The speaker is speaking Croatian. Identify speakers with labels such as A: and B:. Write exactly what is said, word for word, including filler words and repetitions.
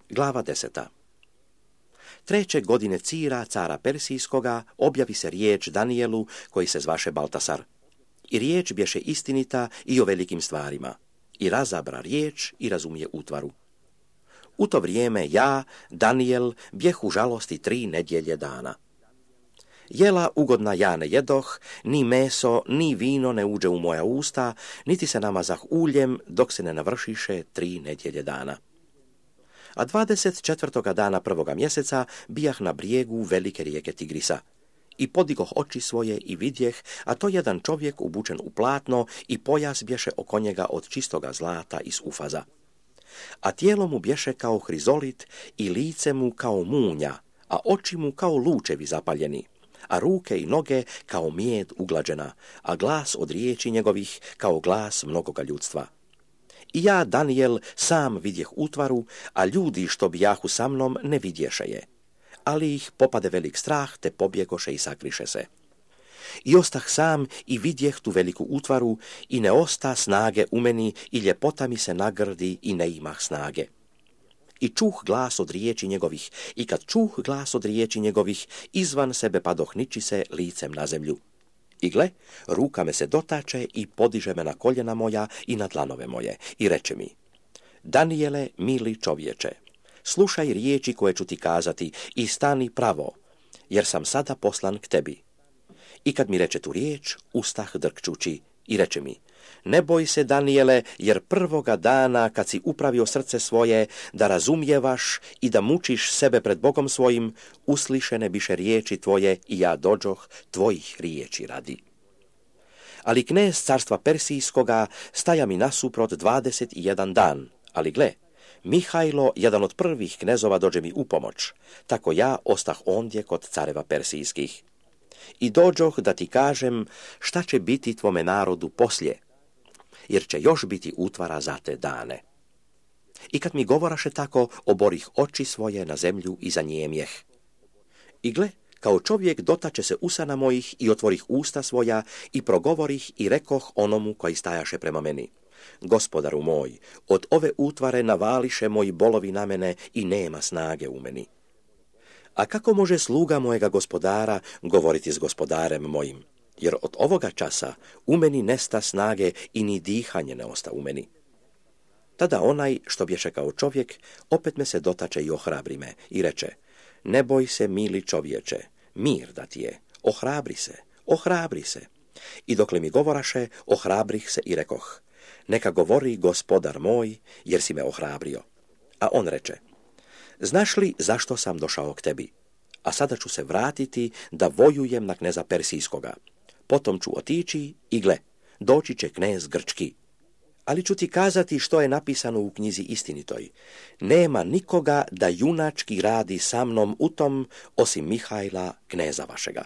A: Glava deseta. Treće godine Cira, cara Persijskoga, objavi se riječ Danijelu, koji se zvaše Baltasar. I riječ bješe istinita i o velikim stvarima. I razabra riječ i razumije utvaru. U to vrijeme ja, Danijel, bjeh u žalosti tri nedjelje dana. Jela ugodna ja ne jedoh, ni meso, ni vino ne uđe u moja usta, niti se namazah uljem, dok se ne navršiše tri nedjelje dana. A dvadeset četvrtoga dana prvoga mjeseca bijah na brijegu velike rijeke Tigrisa. I podigoh oči svoje i vidjeh, a to jedan čovjek ubučen u platno i pojas bješe oko njega od čistoga zlata iz Ufaza. A tijelo mu bješe kao hrizolit i lice mu kao munja, a oči mu kao lučevi zapaljeni, a ruke i noge kao mijed uglađena, a glas od riječi njegovih kao glas mnogoga ljudstva. I ja, Danijel, sam vidjeh utvaru, a ljudi što bijahu sa mnom ne vidješe je. Ali ih popade velik strah, te pobjegoše i sakriše se. I ostah sam i vidjeh tu veliku utvaru, i ne osta snage u meni, i ljepota mi se nagrdi, i ne imah snage. I čuh glas od riječi njegovih, i kad čuh glas od riječi njegovih, izvan sebe padoh niči se licem na zemlju. I gle, ruka me se dotače i podiže me na koljena moja i na dlanove moje, i reče mi: Danijele, mili čovječe, slušaj riječi koje ću ti kazati i stani pravo, jer sam sada poslan k tebi. I kad mi reče tu riječ, ustah drkčući i reče mi: Ne boj se, Danijele, jer prvoga dana kad si upravio srce svoje da razumijevaš i da mučiš sebe pred Bogom svojim, uslišene biše riječi tvoje i ja dođoh tvojih riječi radi. Ali knez carstva Persijskoga staja mi nasuprot dvadeset i jedan dan, ali gle, Mihajlo, jedan od prvih knezova, dođe mi u pomoć, tako ja ostah ondje kod careva Persijskih. I dođoh da ti kažem šta će biti tvome narodu poslije, jer će još biti utvara za te dane. I kad mi govoraše tako, oborih oči svoje na zemlju i zanijemjeh. I gle, kao čovjek dotače se usana mojih i otvorih usta svoja i progovorih i rekoh onomu koji stajaše prema meni: Gospodaru moj, od ove utvare navališe moji bolovi na mene i nema snage u meni. A kako može sluga mojega gospodara govoriti s gospodarem mojim? Jer od ovoga časa u meni nesta snage i ni dihanje ne osta u meni. Tada onaj što bješe kao čovjek opet me se dotače i ohrabri me i reče: Ne boj se, mili čovječe, mir da ti je, ohrabri se, ohrabri se. I dokle mi govoraše, ohrabrih se i rekoh: Neka govori gospodar moj, jer si me ohrabrio. A on reče: Znaš li zašto sam došao k tebi? A sada ću se vratiti da vojujem na kneza Persijskoga. Potom ću otići i gle, doći će knez Grčki. Ali ću ti kazati što je napisano u knjizi istinitoj. Nema nikoga da junački radi sa mnom u tom, osim Mihajla, kneza vašega.